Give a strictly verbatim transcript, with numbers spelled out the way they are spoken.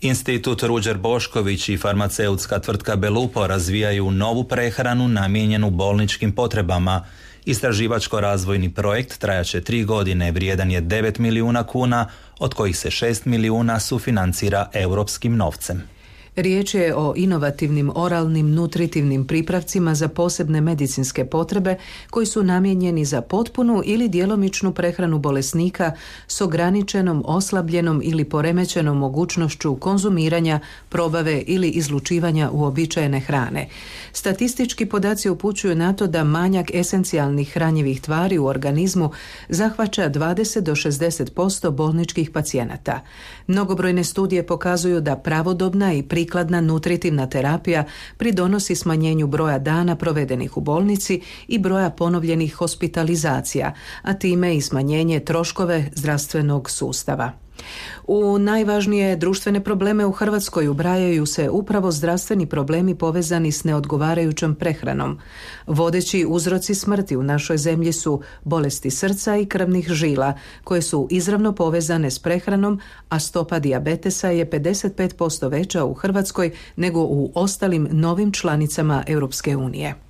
Institut Ruđer Bošković i farmaceutska tvrtka Belupo razvijaju novu prehranu namijenjenu bolničkim potrebama. Istraživačko-razvojni projekt trajaće tri godine, vrijedan je devet milijuna kuna, od kojih se šest milijuna sufinancira europskim novcem. Riječ je o inovativnim oralnim nutritivnim pripravcima za posebne medicinske potrebe koji su namijenjeni za potpunu ili djelomičnu prehranu bolesnika s ograničenom, oslabljenom ili poremećenom mogućnošću konzumiranja, probave ili izlučivanja uobičajene hrane. Statistički podaci upućuju na to da manjak esencijalnih hranjivih tvari u organizmu zahvaća dvadeset do šezdeset posto bolničkih pacijenata. Mnogobrojne studije pokazuju da pravodobna i prikladna nutritivna terapija pridonosi smanjenju broja dana provedenih u bolnici i broja ponovljenih hospitalizacija, a time i smanjenje troškove zdravstvenog sustava. U najvažnije društvene probleme u Hrvatskoj ubrajaju se upravo zdravstveni problemi povezani s neodgovarajućom prehranom. Vodeći uzroci smrti u našoj zemlji su bolesti srca i krvnih žila, koje su izravno povezane s prehranom, a stopa dijabetesa je pedeset pet posto veća u Hrvatskoj nego u ostalim novim članicama Europske unije.